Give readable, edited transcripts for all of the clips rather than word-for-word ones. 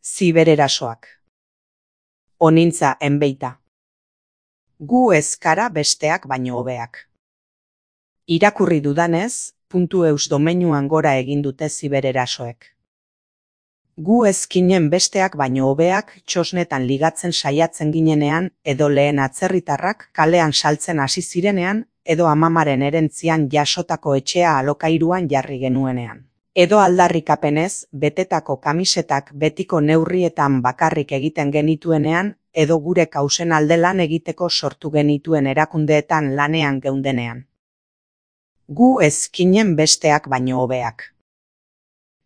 Zibererasoak. Onintza enbeita. Gu ez gara besteak baino hobeak. Irakurri dudanez, .eus domeinuan gora egin dute zibererasoek. Gu ez ginen besteak baino hobeak txosnetan ligatzen saiatzen ginenean, edo lehen atzerritarrak kalean saltzen hasi zirenean, edo amamaren erentzian jasotako etxea alokairuan jarri genuenean. Edo aldarrikapenez, betetako kamisetak betiko neurrietan bakarrik egiten genituenean, edo gure kausen alde lan egiteko sortu genituen erakundeetan lanean geundenean. Gu ez ginen besteak baino hobeak.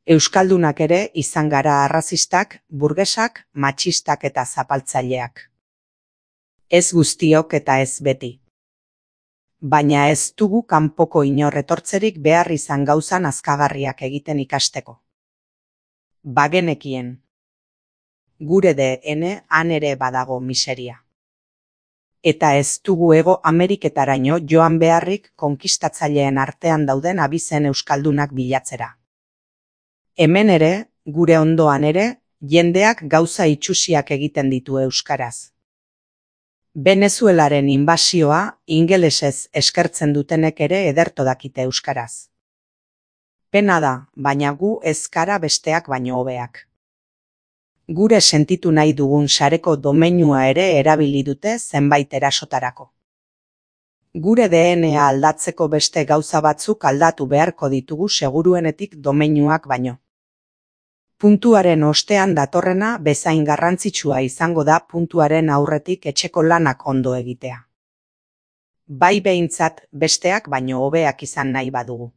Euskaldunak ere izan gara arrazistak, burgesak, matxistak eta zapaltzaileak. Ez guztiok eta ez beti. Baina ez dugu kanpoko inor etortzerik behar izan gauza nazkagarriak egiten ikasteko. Bagenekien. Gure DN han ere badago miseria. Eta ez dugu Hego Ameriketaraino joan beharrik konkistatzaileen artean dauden abizen euskaldunak bilatzera. Hemen ere, gure ondoan ere, jendeak gauza itsusiak egiten ditu euskaraz. Venezuelaren inbasioa ingelesez eskertzen dutenek ere ederto dakite euskaraz. Pena da, baina gu ez gara besteak baino hobeak. Gure sentitu nahi dugun sareko domeinua ere erabili dute zenbait erasotarako. Gure DNA aldatzeko beste gauza batzuk aldatu beharko ditugu seguruenetik domeinuak baino. Puntuaren ostean datorrena bezain garrantzitsua izango da puntuaren aurretik etxeko lanak ondo egitea. Bai behintzat besteak baino hobeak izan nahi badugu.